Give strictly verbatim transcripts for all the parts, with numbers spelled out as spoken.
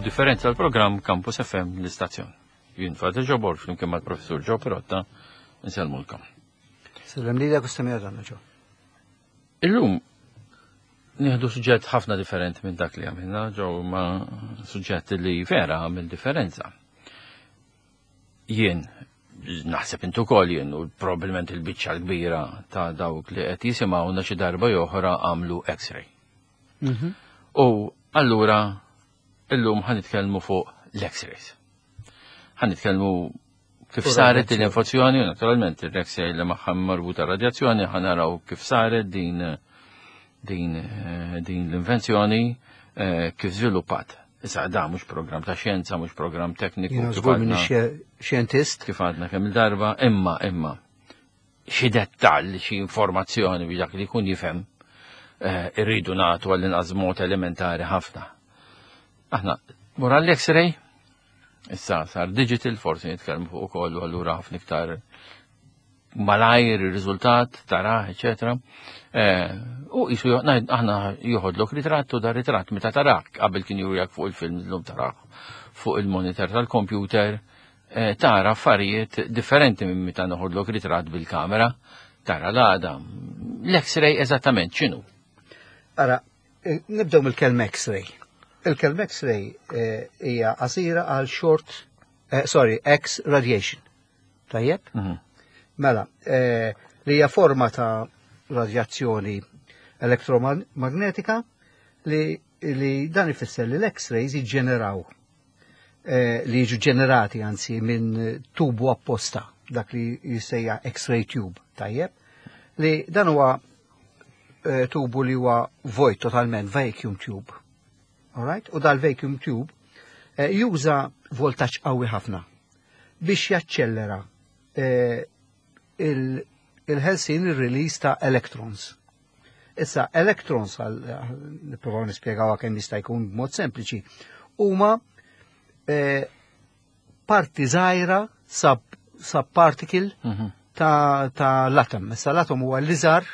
Differenza l-programm Campus F M l-istazzjon. Jien Father Ġobor flimkien mal-Professur Joe Perotta nsellmulkom. Sellem li dak u għadna ġo. Illum nieħdu suġġett ħafna differenti minn dak li għamilna ġew, ma suġġett li vera għamil differenza. Jien naħseb intu kol jien u probabbilment il-biċċa l-kbira ta' dawk li qed jisimgħuna xi darba oħra għamlu X-ray. Mhm. U allura illum ħa nitkellmu fuq l-X-rays. Ħa nitkellmu kif Fuq saret din radjazzjoni. l-invenzjoni, u naturalment l-X-ray li magħha marbuta radjazzjoni, ħa naraw kif saret din din eh, din l-invenzjoni, eh, kif żviluppat. Issa da mhux programm ta' xjenza, mhux programm tekniku. Jiena kif żgur għadna- minn xjentist. Kif għadna kemm il-darba, imma imma xi dettall, xi informazzjoni biex dak li jkun jifhem, eh, irridu nagħtu għall-inqas mod elementari ħafna. Aħna mura l-X-ray, issa sar digital, forsi nitkellmu fuq ukoll u allura ħafna iktar malajr ir-riżultat tara, eċetera. Eh, U jisu ngħid aħna joħodlok ritratt u da ritratt meta tarak, qabel kien jurijak fuq il-film, illum tarak fuq il-monitor tal-computer, eh, tara affarijiet differenti minn meta noħodlok ritratt bil-kamera, tara l-għadam. L-X-ray eżattament x'inhu? Ara, eh, nibdew mill-kelma X-ray. Il-kelma X-ray eh, hija qasira għal short, eh, sorry, X radiation. Tajjeb? Mhm. Mela, eh, li hija forma ta' radjazzjoni elektromagnetika li, li dan ifisser li l-X-rays jiġġeneraw, eh, li jiġu ġenerati anzi minn tubu apposta, dak li jissejja X-ray tube, tajjeb, li dan huwa eh, tubu li huwa vojt totalment, vacuum tube. Alright? U dal-vacuum tube eh, juża voltaġġ qawwi ħafna biex jaċċellera eh, il- il-ħelsin, il-release ta' electrons. Issa, electrons, għal nipprovaw nispjegaw kemm jista' jkun b'mod sempliċi, huma eh, parti żgħira sub, sub-particle Mhm. ta', ta l-atom. Issa l-atom huwa l-iżgħar,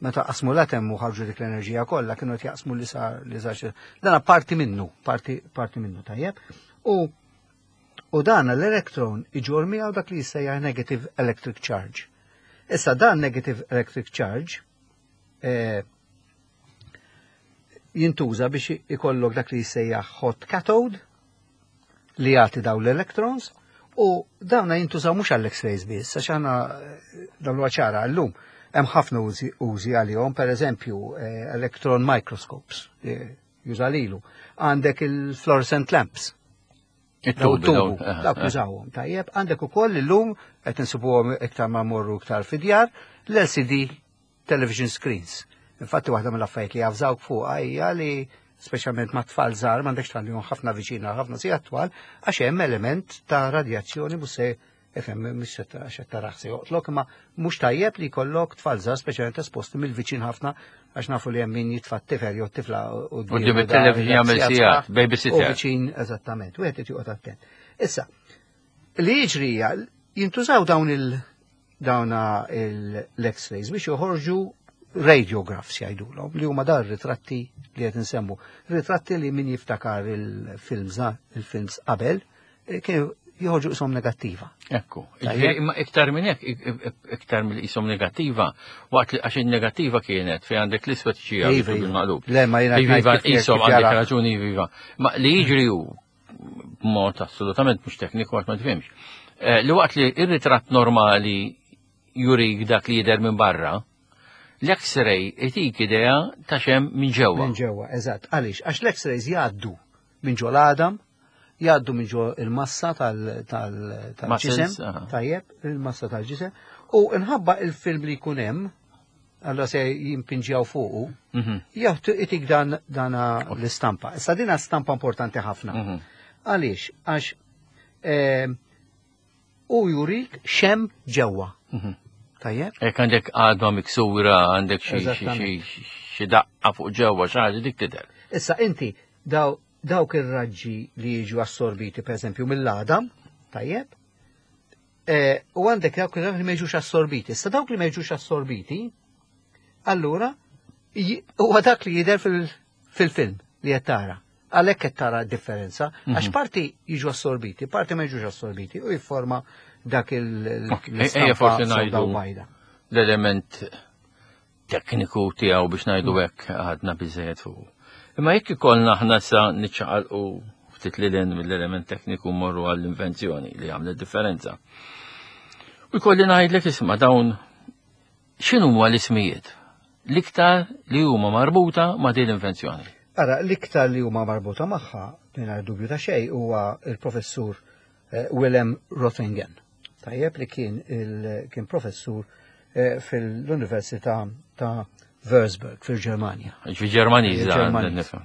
meta qasmu l-atom u ħarġu dik l-enerġija kollha, kienu qed jaqsmu l-iżgħar l-iżgħar. Dan parti minnu, parti parti minnu, tajjeb. U u dan l-elektron iġor miegħu dak li jissejjaħ negative electric charge. Issa dan negative electric charge eh, jintuża biex ikollok dak li jissejjaħ hot cathode li jagħti daw l-electrons, u dawna jintużaw mhux għall-X-rays biss, għax aħna eh, dawn huwa ċara llum hemm ħafna użi użi għalihom, per eżempju eh, electron microscopes eh, juża lilu. Għandek il-fluorescent lamps, daw it-tubi, tubu, dawn, eh, dawk eh. jużawhom. Tajjeb, għandek ukoll illum qed insibuhom iktar ma morru iktar fid-djar l-L C D television screens. Infatti waħda mill-affarijiet li javżawk fuqha hija li speċjalment ma' tfal żgħar m'għandekx tħallihom ħafna viċina ħafna sigħat twal, għax hemm element ta' radjazzjoni mhux se ifhem mhux se ta- xed taraħ se joqtlok, imma mhux tajjeb li jkollok tfal żgħar speċjalment esposti mill-viċin ħafna, għax nafu li hemm min jitfa' t-tifel jew t-tifla Quddiem it-television jagħmel sigħat, babysitter. U viċin eżattament, u qed joqgħod attent. Issa, li jiġri hija jintużaw dawn il dawna l-X-rays biex joħorġu radiographs jgħidulhom, li huma dar ritratti li qed insemmu. Ritratti li min jiftakar il-films il-films qabel eh, kienu joħorġu isom negattiva. Ekku, Tajjeb. ġifieri, imma iktar minn hekk, ik- ik- iktar mill isom negattiva, waqt li għax il-negattiva kienet fejn għandek l-iswed xi Iva, iva. bil-maqlub. Le, ma jiena Iva, ngħid iva, kif- kif isom għandek jara. raġuni, iva. Ma li jiġri hu b'mod assolutament mhux tekniku għax ma tifhimx. Eh, Li waqt li ir-ritratt normali jurik dak li jidher minn barra, l-X-ray itik idea ta' x'hemm minn ġewwa. Minn ġewwa, eżatt. Għaliex? Għax l-X-rays jgħaddu minn ġo l-għadam, jgħaddu minn ġo il-massa tal- tal- tal-ġisem, Muscles, aha. tajjeb, il-massa tal-ġisem, u nħabba il-film li jkun hemm, allora se jimpinġjaw fuqu, Mhm, jagħtu itik dan dana l-istampa. Issa dina stampa importanti ħafna. mhm. Għaliex? Għax eh, u jurik x'hemm ġewwa. Mhm. Tajjeb? Jekk għandek għadma miksura, għandek xi xi Eżattament. xi xi daqqa fuq ġewwa, xi ħaġa dik tidher. Issa inti daw, dawk ir-raġġi li jiġu assorbiti per eżempju mill-għadam, tajjeb, e, u għandek dawk ir-raġġi li ma jiġux assorbiti. Issa dawk li ma jiġux assorbiti, allura j- huwa dak li jidher fil- fil-film li qed tara. Għalhekk qed tara differenza, għax parti jiġu assorbiti, parti ma jiġux assorbiti u jifforma dak il- forsi ngħidu l-element tekniku tiegħu biex ngħidu hekk għadna biżejjed fuq. Imma jekk ikollna aħna sa niċċaqalqu ftit lil mill-element tekniku morru għall-invenzjoni li għamlet differenza. U jkolli ngħidlek, isma', dawn x'inhu l-ismijiet l-iktar li huma marbuta ma' din l-invenzjoni? Ara, l-iktar li huma marbuta magħha, mingħajr dubju ta' xejn, huwa il-professur eh, Willem Röntgen. Tajjeb, li kien kien professur eh, fil-Università ta' Würzburg fil-Ġermanja. Fi Ġermaniż.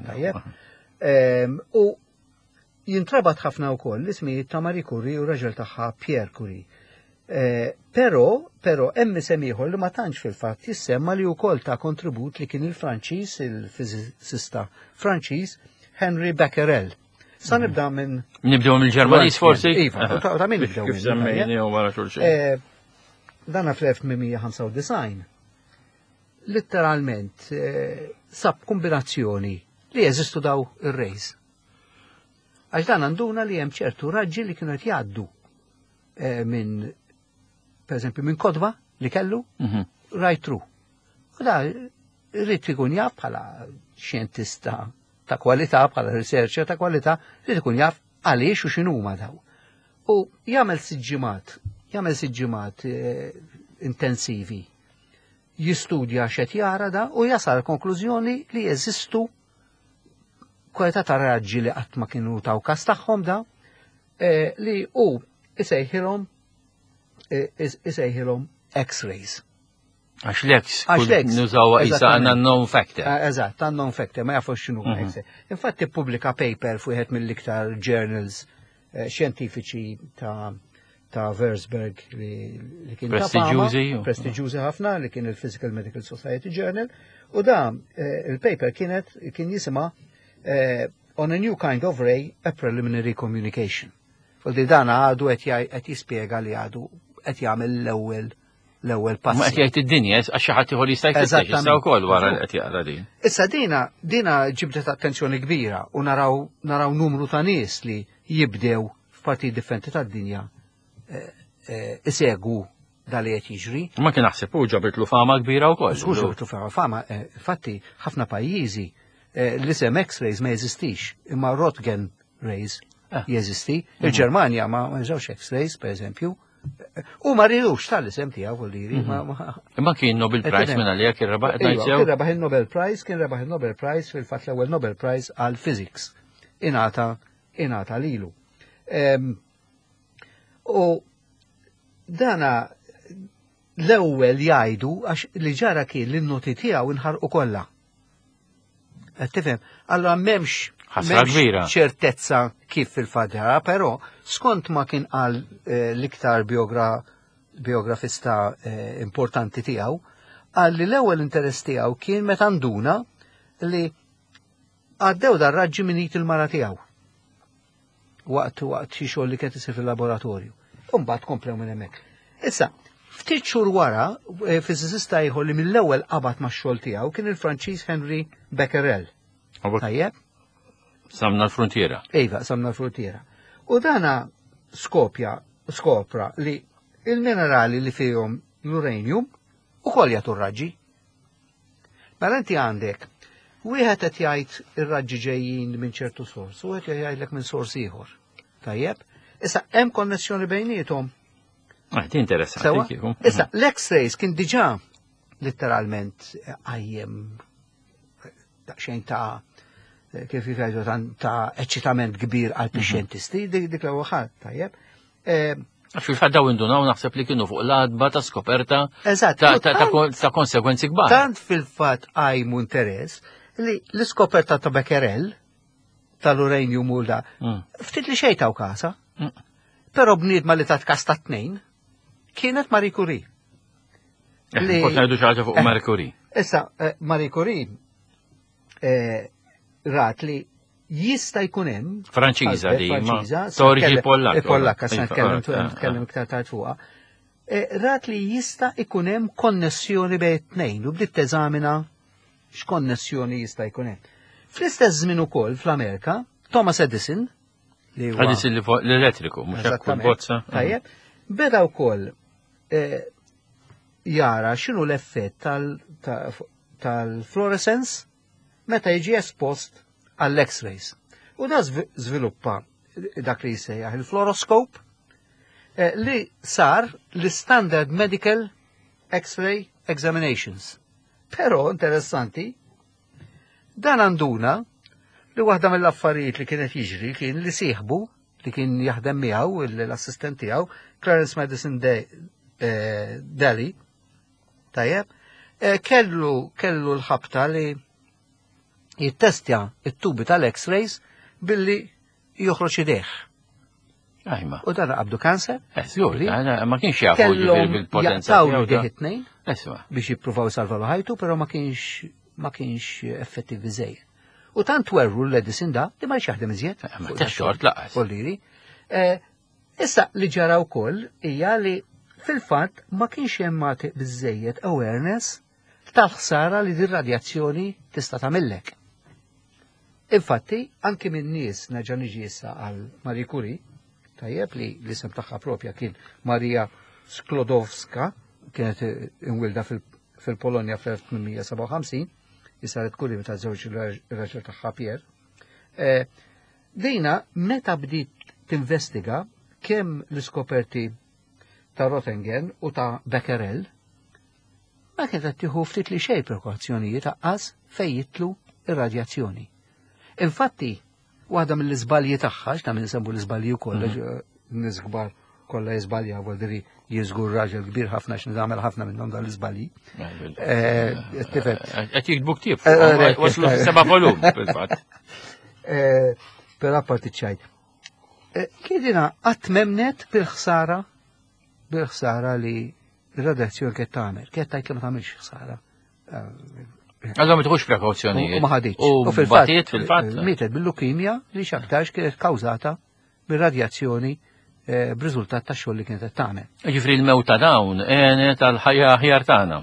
Tajjeb. U jintrabat ħafna wkoll l-ismijiet ta' Marie Curie u raġel tagħha Pierre Curie. Eh, pero, pero hemm isem ieħor li ma tantx fil-fatt jissemma li wkoll ta kontribut, li kien il-Franċiż, il-fiżista Franċiż Henry Becquerel. Sa mhm. nibda minn Nibdew mill-Ġermaniż forsi? Iva, ta' min nibdew. Kif semmejni u wara xulxin. Eh, dana fl-elf tmien mija u ħamsa u disgħin letteralment eh, sab kombinazzjoni li jeżistu daw ir-rays. Għax dan għanduna li hemm ċertu raġġi li kienu qed jgħaddu minn, per eżempju, minn kotba li kellu, mhm. right through. U da rrid ikun jaf bħala xjentista ta' kwalità, bħala researcher ta' kwalità, rrid ikun jaf għaliex u x'inhuma daw. U jagħmel siġġimat, jagħmel siġġimat eh, intensivi, jistudja x'qed jara da u jasal konklużjoni li jeżistu kwalità ta' raġġi li qatt ma kienu taw kas tagħhom da, eh, li u isejħilhom isejħilhom X-rays. Għax l-X, għax l-X. Nużawha issa għandna known factor. Ah, eżatt, unknown factor, ma jafux x'inhu mhm. X. Infatti pubblika paper fuq mill-iktar journals eh, xjentifiċi ta' ta' Würzburg li, li kien prestiġjużi. Prestiġjużi ħafna, li kien il-Physical Medical Society Journal, u da eh, il-paper kienet kien jisima eh, "On a New Kind of Ray, a Preliminary Communication". Fuldi dan għadu qed jispjega li għadu qed jagħmel l-ewwel l-ewwel pass. Ma qed jgħid id-dinja għax xi ħadd ieħor jista' jfittex issa wkoll wara li qed jaqra din. Issa dina dina ġibdet attenzjoni kbira u naraw naraw numru ta' nies li jibdew f'partijiet differenti tad-dinja eh, eh, isegwu dal li qed jiġri. Ma kien naħseb u ġabitlu fama kbira wkoll. Żgur ġabitlu fama, fama, eh, infatti ħafna pajjiżi l-isem X-rays ma jeżistix, imma Röntgen rays jeżisti. Il-Ġermanja ma jużawx X-rays, per eżempju. U ma ridux tal-isem tiegħu, vuol Imma kien Nobel Prize minn għalija, kien rebaħ. Kien rebaħ il-Nobel Prize, kien rebaħ il-Nobel Prize, fil-fatt l-ewwel Nobel Prize għal Physics. Ingħata ingħata lilu. U dana l-ewwel jgħidu, għax li ġara kien li n-noti tiegħu inħarqu kollha. Qed tifhem? Allora m'hemmx Ħasra kbira. ċertezza kif fil-fatt, però skont ma kien qal eh, l-iktar biografista eh, importanti tiegħu, qal li l-ewwel interess tiegħu kien meta nduna li għaddew dar-raġġi minn il-mara tiegħu waqt waqt xi xogħol li kien isir fil-laboratorju. U mbagħad komplew minn hemmhekk. Issa, ftit xhur wara, eh, fiżicista ieħor li mill-ewwel qabad max-xogħol tiegħu kien il-Franċiż Henry Becquerel. Tajjeb? Qsamna l-frontiera. Iva, qsamna l-frontiera. U dana skopja, skopra li il-minerali li fihom l-uranium ukoll jagħtu raġġi. Mela inti għandek wieħed qed jgħid ir-raġġi ġejjin minn ċertu sors, u wieħed jgħidlek minn sors ieħor. Tajjeb? Issa hemm konnessjoni bejniethom. Ah, interessanti. Issa l-X-rays kien diġà letteralment għajjem daqsxejn ta' kif jgħidu ta' eċċitament kbir għal mhm. xjentisti, dik l-ewwel ħadd, tajjeb. Eh, Fil-fatt daw indunaw naħseb li kienu fuq l-għatba ta' skoperta ta' konsekwenzi kbar. Tant fil-fatt għajmu interess li l-iskoperta ta' Becquerel tal-uranium u da, mm. ftit li xejn taw kasa. Mm. Però bniedma li tat kas ta' tnejn kienet Marie Curie. Eh, Kont ngħidu xi ħaġa fuq eh, Marie Curie. Issa, eh, Marie Curie rat li jista' jkun hemm Franċiża di, Franċiża, ta' Pollakka. Pollakka, se nitkellem nitkellem iktar tard fuqha. Rat li jista' jkun hemm konnessjoni bejn tnejn u bdiet teżamina x'konnessjoni jista' jkun hemm. Fl-istess żmien ukoll fl-Amerika, Thomas Edison, li huwa Edison l-elettriku, mhux hekk bozza. Tajjeb, beda wkoll eh, jara x'inhu l-effett tal-fluorescence meta jiġi espost għall-X-rays. U da żviluppa dak li jsejjaħ il-fluoroscope eh, li sar l-standard medical X-ray examinations. Però interessanti, dan għanduna li waħda mill-affarijiet li kienet jiġri kien li sieħbu li kien jaħdem miegħu l-assistent tiegħu Clarence Madison eh, Daly, tajjeb, eh, kellu kellu l-ħabta li jittestja it-tubi tal-X-rays billi joħroġ idejh. Ajma. U dan qabdu kanser. Eh, ma kienx jafu bil-potenza. Kellhom idejh it-tnejn biex jippruvaw salvaw ħajtu, però ma kienx ma kienx effettiv biżejjed. U tant werru l-Edison da li ma jaħdem iżjed. Eh, ma ta' xort laqas. Kolliri. Eh, issa li ġara wkoll hija li fil-fatt ma kienx hemm biżejjed awareness tal-ħsara li din radjazzjoni tista' tagħmillek. Infatti, anki minn nies nerġa' niġi issa għal Marie Curie, tajjeb li l-isem tagħha propja kien Maria Sklodowska, kienet imwilda fil-Polonja fl-elf tmien mija sebgħa u ħamsin, saret Curie meta żewġ ir-raġel tagħha Pierre. Eh, dina meta bdiet tinvestiga kemm l-iskoperti ta' Roentgen u ta' Becquerel, ma kienet qed tieħu ftit li xejn prekawzjonijiet aqqas fejn jitlu ir-radjazzjoni. Infatti, waħda mill-iżbalji tagħha, x'ta' minn nsemmu l-iżbalji wkoll, mhm. nies kbar kollha jiżbalja, vuol dire jiżgur raġel kbir ħafna x'ni nagħmel ħafna minnhom dan l-iżbalji. Eh, tifhem. Qed jiktbu ktieb, eh, eh, waslu seba' volum fil-fatt. Però apparti ċajt. Kiedina qatt memnet bil-ħsara bil-ħsara li r-radjazzjoni kienet tagħmel, kienet tgħid li ma tagħmilx ħsara. Għallhom ma tieħux prekawzjonijiet. U ma ħaditx. U fil-fatt, fil-fatt. Mietet bil-lukemja li x'aktarx kienet kawżata bir-radjazzjoni eh, b'riżultat ta' xogħol li kienet qed tagħmel. Ġifieri l-mewt ta' dawn għenet għall-ħajja aħjar tagħna.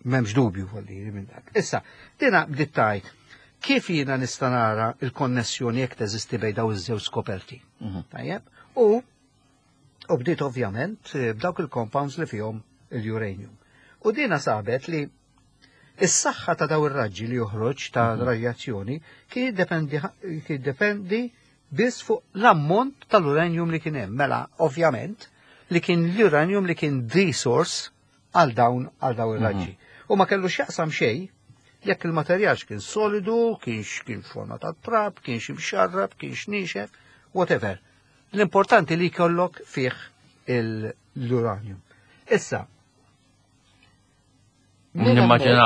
M'hemmx dubju volli minn dak. Issa, dina bdiet tgħid kif jiena nista' nara l-konnessjoni jekk teżisti bejn dawn iż-żewġ skoperti. Mhm. Tajjeb? U u bdiet ovvjament eh, b'dawk il-compounds li fihom il-uranium. U dina sabet li is-saħħa ta' daw ir-raġġi li joħroġ ta' mhm. radjazzjoni kien jiddependi biss fuq l-ammont tal-uranium li kien hemm. Mela, ovvjament, li kien l-uranium li kien the source għal dawn għal daw ir-raġġi. Mhm. U ma kellu x'jaqsam xejn jekk il-materjal kien solidu, kienx kien forma ta' trab, kienx imxarrab, kienx nixef, whatever. L-importanti li jkollok fih l-uranium. Issa, Nimmaġina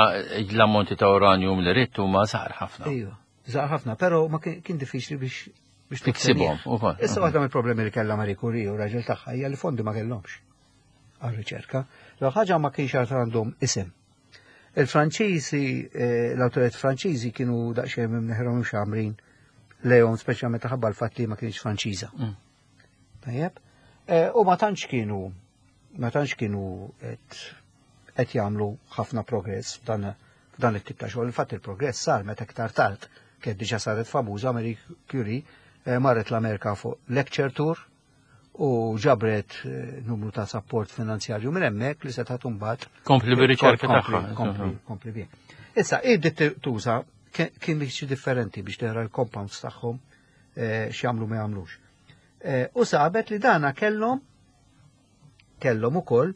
l-ammonti ta' uranium li rittu ma żgħar ħafna. Ejwa, żgħar ħafna, però ma kien diffiċli biex biex tiksibhom. Issa waħda mill-problemi li kellha Marie Curie u raġel tagħha hija li fondi ma kellhomx għar-riċerka. L ħaġa ma kienx għad għandhom isem. Il-Franċiżi, eh, l-awtoritajiet Franċiżi kienu daqsxejn minn neħrhom xamrin lejhom speċjalment ħabba l-fatt li ma kienx Franċiża. Mm. Tajjeb? Eh, u ma tantx kienu ma tantx kienu qed qed jagħmlu ħafna progress f'dan f'dan it-tip ta' xogħol. Infatti il-progress sar meta iktar tard kienet diġà saret famuża Marie Curie eh, marret l-Amerika fuq lecture tour u ġabret eh, numru ta' support finanzjarju minn hemmhekk li setgħet imbagħad Kompli bir-riċerka tagħha. Kompli, kompli bih. Issa, id tuża kien biex differenti biex tara l-compounds tagħhom eh, x'jagħmlu ma jagħmlux. U sabet li dana kellhom kellhom ukoll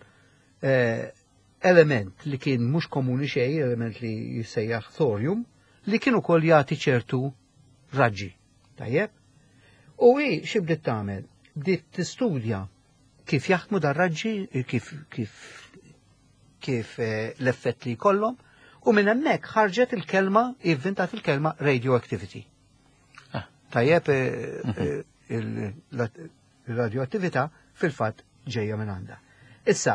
element li kien mhux komuni xejn, element li jissejjaħ thorium, li kien ukoll jagħti ċertu raġġi. Tajjeb? U hi xi bdiet tagħmel? Bdiet tistudja kif jaħdmu dar raġġi, kif kif kif eh, l-effett li jkollhom, u minn hemmhekk ħarġet il-kelma, ivvintat il-kelma radioactivity. Ah. Tajjeb, eh, eh, il-radioattività fil-fatt ġejja minn għandha. Issa,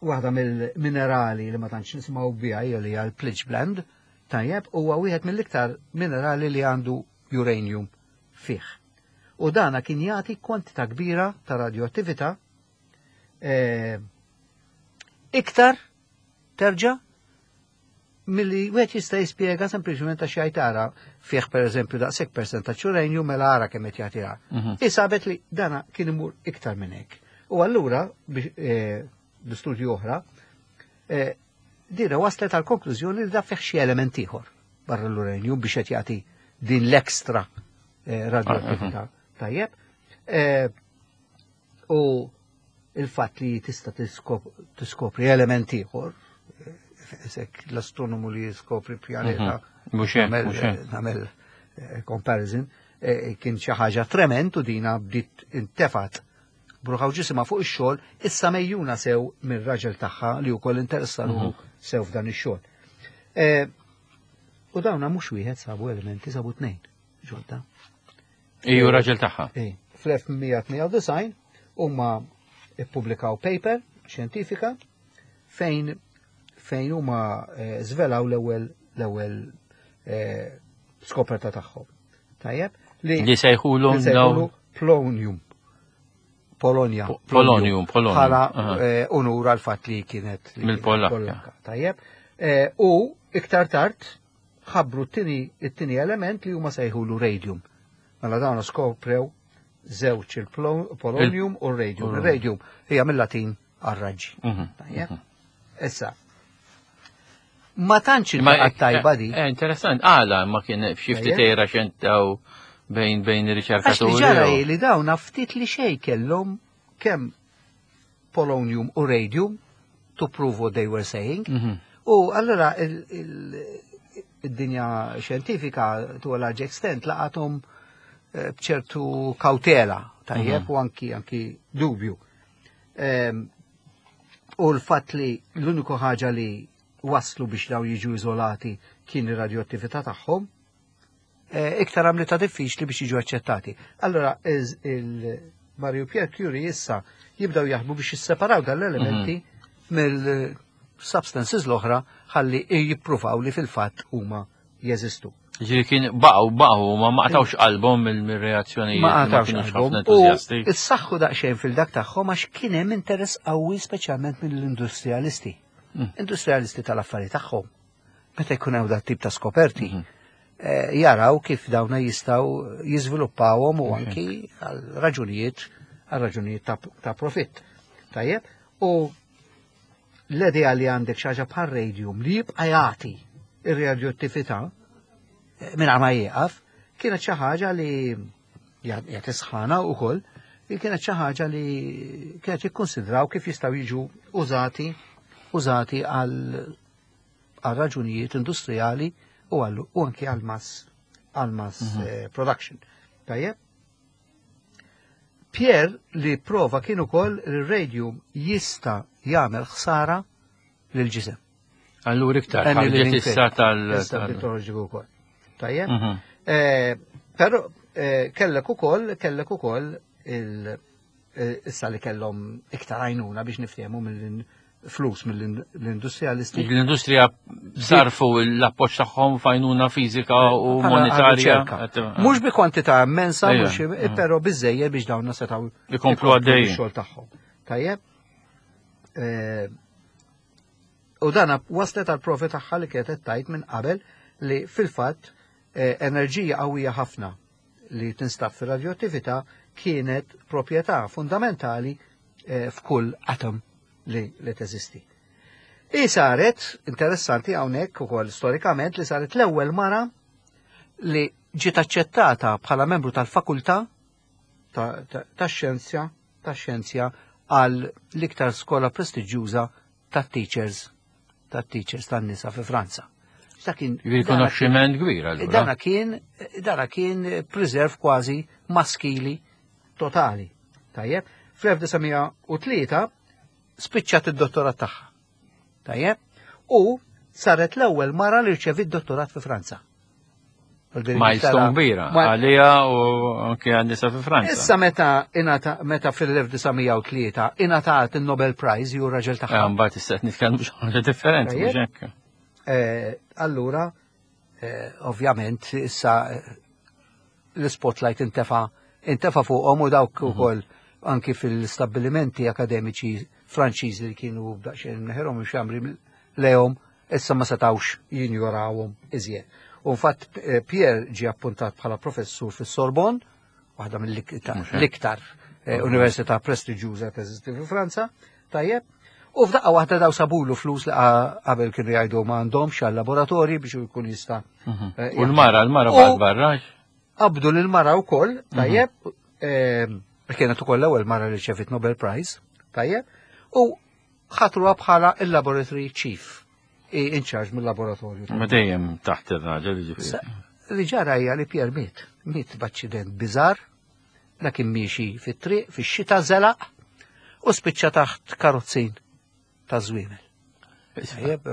waħda mill-minerali li ma tantx nisimgħu biha hija li hija l-pitchblende, tajjeb, huwa wieħed mill-iktar minerali li għandu uranium fih. U dana kien jagħti kwantità kbira ta' radioattività eh, iktar terġa' Milli wieħed jista' jispjega sempliċement għax jgħid ara fih pereżempju daqshekk percentaġġ uranju mela ara kemm qed jagħtiha. Mhm. Isabet li dana kien imur iktar minn hekk. U allura biex eh, l-istudju oħra, eh, dina waslet għal konklużjoni li da fih xi element ieħor barra l-uranju biex qed jagħti din l-ekstra eh, radioattività. Tajjeb. Eh, U il-fatt li tista' tiskop- tiskopri element ieħor, eh, sek l-astronomu li jiskopri pjaneta, Mhux hekk, nagħmel- mhux hekk. nagħmel eh, comparison, eh, kien xi ħaġa trement u dina bdiet intefat b'ruħha u ġisimha fuq ix-xogħol, issa mejjuna sew mir-raġel tagħha li wkoll interessa ruħu sew f'dan ix-xogħol. Eh, U dawna mhux wieħed sabu elementi, sabu tnejn ġodda. Iju raġel tagħha. Eh, Fl-elf tmien mija tmienja u disgħin huma ippubblikaw paper xjentifika fejn fejn huma eh, żvelaw l-ewwel l-ewwel eh, skoperta tagħhom. Tajjeb? Li sejħulhom li sejħulu dawn Polonium. Polonia. Po- Polonium, Polonium, Bħala aha. eh, unur għal fatt li kienet li kienet Mill-Polakka. Pollakka. Tajjeb. Eh, U iktar tard ħabbru t-tieni it-tieni element li huma sejħulu radium. Mela dawn skoprew żewġ il-polonium u r-radium. Il-radium hija mill-Latin għar-raġġi. Mhm. Tajjeb. Issa. Ma tantx Ma- iltaqgħet tajba di. Eh, interessant, għala ma kien f'xi ftit Tajjeb. era xentaw bejn bejn Għax li ir-riċerkaturi. ġara u- hi li dawn ftit li xej kellhom kemm polonium u radium to prove what they were saying. Mhm. U allora il- il- id-dinja xjentifika to a large extent laqathom eh, bċertu kautela, tajjeb, u anki anki dubju. Em, U l-fatt li l-uniku ħaġa li waslu biex daw jiġu izolati kien ir-radioattività tagħhom, eh, iktar għamlita diffiċli biex jiġu aċċettati. Allora, iż- il-Marie u Pierre Curie issa jibdaw jaħdmu biex jisseparaw dal-elementi mill-substances l-oħra ħalli jippruvaw li fil-fatt huma jeżistu. Ġifieri kien baqgħu baqgħu ma ma qatawx qalbhom mill-reazzjonijiet Ma ma qatawx kienux qalbhom. ħafna U entużjasti. issaħħu daqsxejn fil-dak tagħhom għax kien hemm interess qawwi speċjalment mill-industrialisti. Mm. Industrialisti tal-affari tagħhom. Meta jkun hawn dat tip ta' skoperti, Mhm. eh, jaraw kif dawna jistgħu jiżviluppawhom u anki għal raġunijiet għal raġunijiet ta', ta' profitt. Tajjeb? U l-idea li għandek xi ħaġa bħal radium li jibqa' jagħti ir-radioattività eh, mingħajr ma jieqaf, kienet xi ħaġa li jagħti sħana wkoll, li kienet xi ħaġa li kienet jikkonsidraw kif jistgħu jiġu użati użati għal għal raġunijiet industrijali u għal u anki għal mass għal mass eh, production. Tajjeb? Pierre li prova kien ukoll li r-radium jista' jagħmel ħsara lil ġisem. Allura iktar ħarġet issa tal. Issa tal- bdiet toħroġ ukoll. Tajjeb? Mhm. Eh, Però eh, kellek ukoll kellek ukoll il eh, issa li kellhom iktar għajnuna biex niftehmu mill-flus mill-industrialisti. L-industrija sarfu l-appoġġ tagħhom f'għajnuna fiżika u Bħala monetarja. riċerka. Mhux bi kwantità immensa, Ejja, mhux mm. però biżejjed biex dawn setgħu Ikomplu għaddejjin. ix-xogħol tagħhom. Tajjeb? Eh, U dana waslet għal profi tagħha li kienet tajt minn qabel li fil-fatt eh, enerġija qawwija ħafna li tinstab fir-radioattività kienet proprjetà fundamentali eh, f'kull atom li, li teżisti. I saret, interessanti hawnhekk ukoll storikament, li saret l-ewwel mara li ġiet aċċettata bħala membru tal-fakultà tax-xjenzja tax-xjenzja għal l-iktar skola prestiġjuża tat-teachers tat-teachers tan-nisa fi Franza. Dak kien Rikonoxximent kbir allura. Dana kien dana kien preserve kważi maskili totali. Tajjeb, fl-elf disa' mija u tlieta spiċċat id-dottorat tagħha. Tajjeb, u saret l-ewwel mara li rċevit dottorat fi Franza. Milestone kbira, għalija u anke għan-nisa fi Franza. Issa meta inata meta fil-elf disa' mija u tlieta ingħatat il-Nobel Prize ju raġel tagħha. Eh, mbagħad issa qed nitkellmu xi ħaġa differenti, mhux hekk. Eh, allura, eh, ovvjament, issa l-spotlight intefa intefa fuqhom u dawk mhm. ukoll anki fil-stabbilimenti akademiċi Franċiżi li kienu daqsxejn neħerhom xamri lehom Issa ma setawx jinjorawhom iżjed. U infatti eh, Pierre ġie appuntat bħala professur fis-Sorbonne, waħda mill-iktar eh, università prestiġjuża teżisti fi Franza, tajjeb. U f'daqqa waħda daw sabulu flus li qabel kienu jgħidu ma għandhomx għal laboratorji biex jkun jista'. Mhm. Eh, U l-mara, l-mara baqgħet barra. Qabdu l-mara wkoll, tajjeb, mhm. kienet ukoll l-ewwel mara li rċevit Nobel Prize, tajjeb, u ħatruha bħala il-laboratory chief in charge mill-laboratorju. Ma dejjem taħt ir-raġel, ġifieri. Li ġara hija li Pierre miet, miet b'aċċident biżar, kien miexi fit-triq, fix-xita, żelaq u spiċċa taħt karozzin ta' żwiemel. Tajjeb,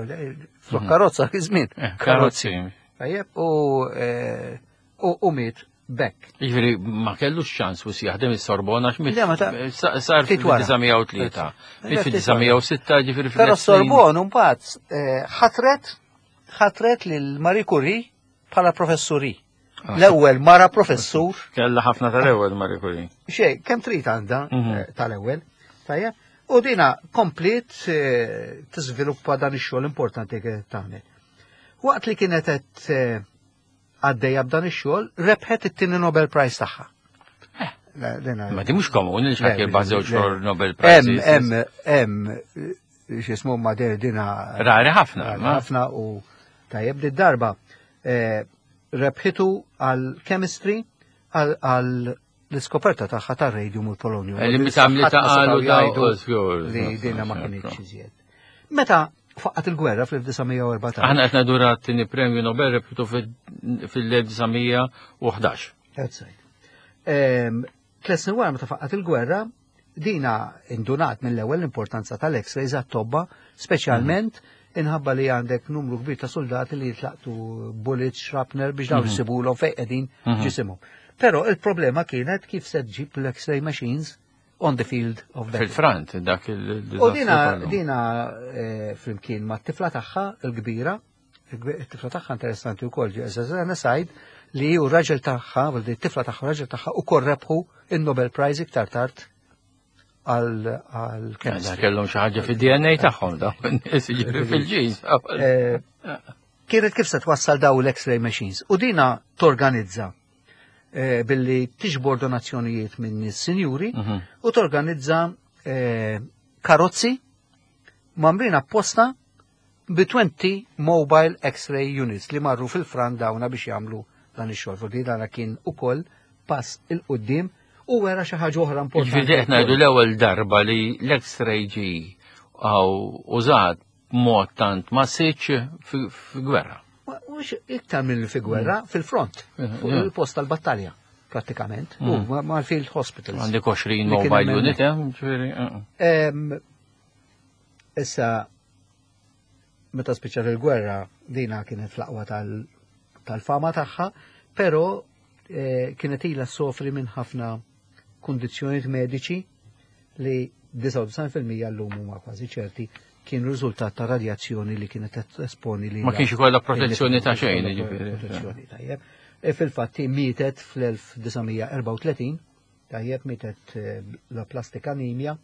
flok mhm. karozza fi żmien. Eh, karozzin. Tajjeb, u eh, u miet bekk. Jiġifieri ma kellux ċans u jaħdem is-Sorbona għax miet sar fil-tlieta. Fil-tlieta ġifieri. Però Sorbonne mbagħad eh, ħatret ħatret lil Marie Curie bħala professuri. Ah. L-ewwel mara professur. Kella ħafna tal-ewwel Marie Curie. Xej, kemm trid għandha mhm. eh, tal-ewwel. Tajjeb. U dina komplet eh, tiżviluppa dan ix-xogħol importanti kienet tagħmel. Waqt li kienet qed għaddejja b'dan ix-xogħol, rebħet it-tieni Nobel Prize tagħha. Eh, ma di mhux komuni li xi ħadd żewġ Nobel Prize. Hemm hemm x'ismu ma dina. Rari ħafna. Ħafna u tajjeb di darba eh, rebħitu għal chemistry, għal l-iskoperta tagħha tar-radium u l-polonium. Eh, li mitamli ta' qalu li dina ma kienx iżjed. Meta faqqat il-gwerra fl-elf disa' mija u erbatax. Aħna qed ngħidu t-tieni premju Nobel rebħitu fil-elf disa' mija u ħdax. That's right. Tliet snin wara, meta faqqat il-gwerra, dina indunat mill-ewwel l-importanza tal-X-rays għat-tobba, speċjalment inħabba li għandek numru kbir ta' soldati li jitlaqtu bullets, shrapnel, biex dawn jisibulhom fejn qegħdin ġisimhom. Però il-problema kienet kif se ġib l-X-ray machines on the field of battle. Fil-front, dak il U dina, dina eh, flimkien ma' t-tifla tagħha il-kbira, it-tifla tagħha interessanti wkoll, ġeżana sajd li u raġel tagħha, u t-tifla tagħha, raġel tagħha ukoll rebħu il-Nobel Prize iktar tard għal għal chemistry. Kellhom xi ħaġa fid-D N A tagħhom dawn nies, jiġri fil-ġins. Eh, Kienet kif se twassal daw l-X-ray machines. U dina torganizza eh, billi tiġbor donazzjonijiet minn nies sinjuri Mhm. u torganizza eh, karozzi mgħammrin apposta bi twenty mobile X-ray units li marru fil-front dawna biex jagħmlu dan ix-xogħol. Di dana kien ukoll pass 'il quddiem u wera xi ħaġa oħra importanti. Ġifieri qed ngħidu l-ewwel darba li l-X-ray ġi għaw użat b'mod tant massiċ fi gwerra. Ma mhux iktar minn fi gwerra, fil-front, fuq yeah. il-post tal-battalja, prattikament, u ma- mal-field hospitals. Għandek għoxrin Li kien mobile hemm unit, eh, ġifieri. eh. Em, Issa, meta spiċċat il-gwerra, dina kienet fl-aqwa tal- tal-fama tagħha, però eh, kienet ilha sofri minn ħafna kundizzjonijiet mediċi li disgħa u disgħin fil-mija llum huma kważi ċerti kien riżultat ta' radjazzjoni li kienet esponi li Ma kienx ikollha protezzjoni ta' xejn, ġifieri. Protezzjoni, tajjeb. E fil-fatti mietet fl-elf disa' mija erbgħa u tletin, tajjeb, mietet eh, l-aplastic anemia,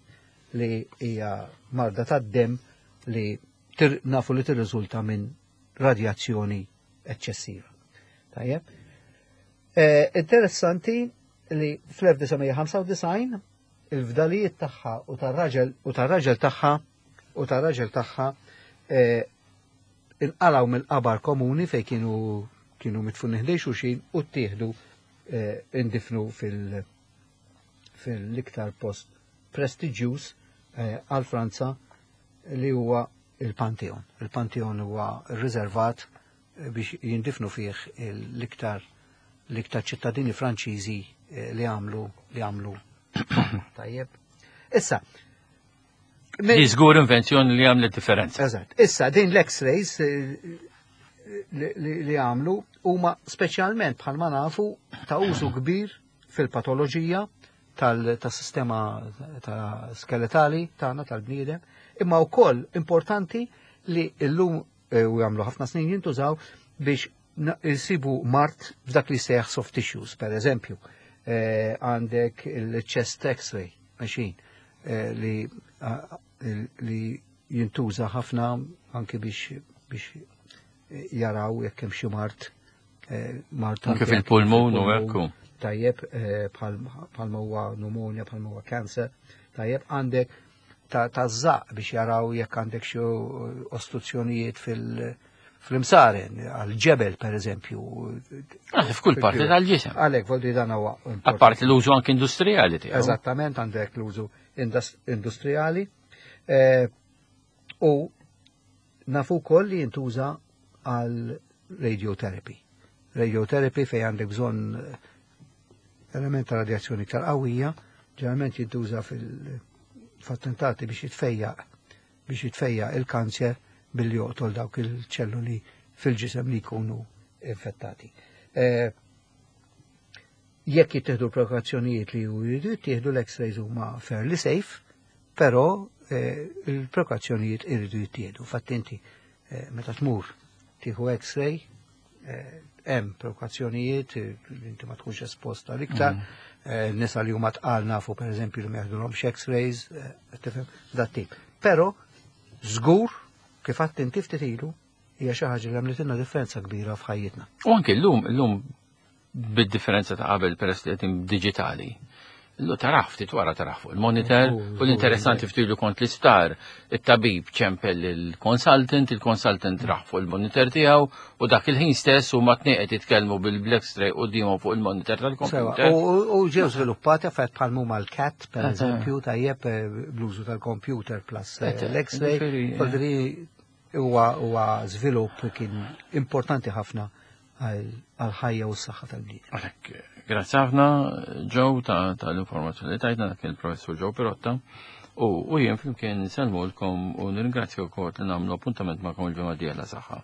li hija marda tad-dem li tir, nafu li tirriżulta minn radjazzjoni eċċessiva. Tajjeb. Eh, interessanti li fl-elf disa' mija ħamsa u disgħin il-fdalijiet tagħha u tar-raġel u tar-raġel tagħha u tar-raġel tagħha eh, inqalaw mill-qabar komuni fej kienu kienu mitfun ħdejn xulxin u ttieħdu eh, indifnu fil- fil-iktar post prestiġjuż eh, għal Franza, li huwa il-Pantheon. Il-Pantheon huwa riservat eh, biex jindifnu fih l-iktar l-iktar ċittadini Franċiżi eh, li għamlu li għamlu tajjeb. Issa, Li żgur invenzjoni li għamlet differenza. Eżatt. Issa, din l-X-rays eh, li, li, li għamlu huma speċjalment, bħalma nafu, ta' użu kbir fil-patoloġija tal-sistema ta' skeletali tagħna tal-bniedem, imma wkoll importanti li llum eh, u jagħmlu ħafna snin jintużaw biex na- jsibu mard f'dak li seħ soft tissues, per eżempju. Eh, Għandek il-chest X-ray machine eh, li ah, li jintuża ħafna anki biex biex jaraw jekk hemm xi mard eh, mard Anke fil-pulmun u hekk. Tajjeb, eh, bħalma huwa pneumonia, bħalma huwa cancer, tajjeb, għandek ta' żaqq biex jaraw jekk għandek xi ostruzzjonijiet fil- fl-imsaren, għal-ġebel per eżempju. Ah, f'kull parti tal-ġisem. Għalek, voldi dan huwa. Apparti l-użu anke industrijali tiegħu. Eżattament, għandek l-użu industrijali. Eh, u nafu wkoll li jintuża għal radiotherapy. Radiotherapy fej għandek bżonn element ta' radjazzjoni iktar qawwija, ġeneralment jintuża fil-attentati biex jitfejjaq biex jitfejjaq il-kanċer billi joqtol dawk il-ċelluli fil-ġisem li jkunu infettati. Eh, jekk jittieħdu prekawzjonijiet li jridu jittieħdu, l-X-rays huma fairly safe, però eh, il-prekawzjonijiet iridu jittieħdu. Fatt inti eh, meta tmur tieħu X-ray, hemm prekawzjonijiet li inti ma tkunx esposta l-iktar, mm. nisa li huma tqal nafu pereżempju li ma jaħdulhomx X-rays, tifhem dat tip. Però żgur, kif għedt inti ftit ilu, hija xi ħaġa li għamlitilna differenza kbira f'ħajjitna. U anke llum, llum bid-differenza ta' qabel, peress li qed digitali. Illu tarah ftit wara, tarah fuq il-monitor u l-interessanti, ftit ilu kont l-isptar, it-tabib ċempel il-consultant, il-consultant raħ fuq il-monitor tiegħu u dak il-ħin stess u ma tnejn qed jitkellmu bil-X-ray qudiemhom fuq il-monitor tal-computer. U ġew żviluppati affarijiet bħal huma l-CAT, per eżempju, tajjeb, eh, bl-użu tal-computer plus eh, l-X-ray. Huwa huwa żvilupp kien importanti ħafna għal-ħajja u s-saħħa tal-bniedem. Grazzi ħafna, Joe, ta' tal-informazzjoni li tajtna. Dak il-professur Joe Pirotta. U u jien flimkien nsellmulkom u nirringrazzjakom li nagħmlu appuntament magħkom il-ġimgħa d-dieħla. Saħħa.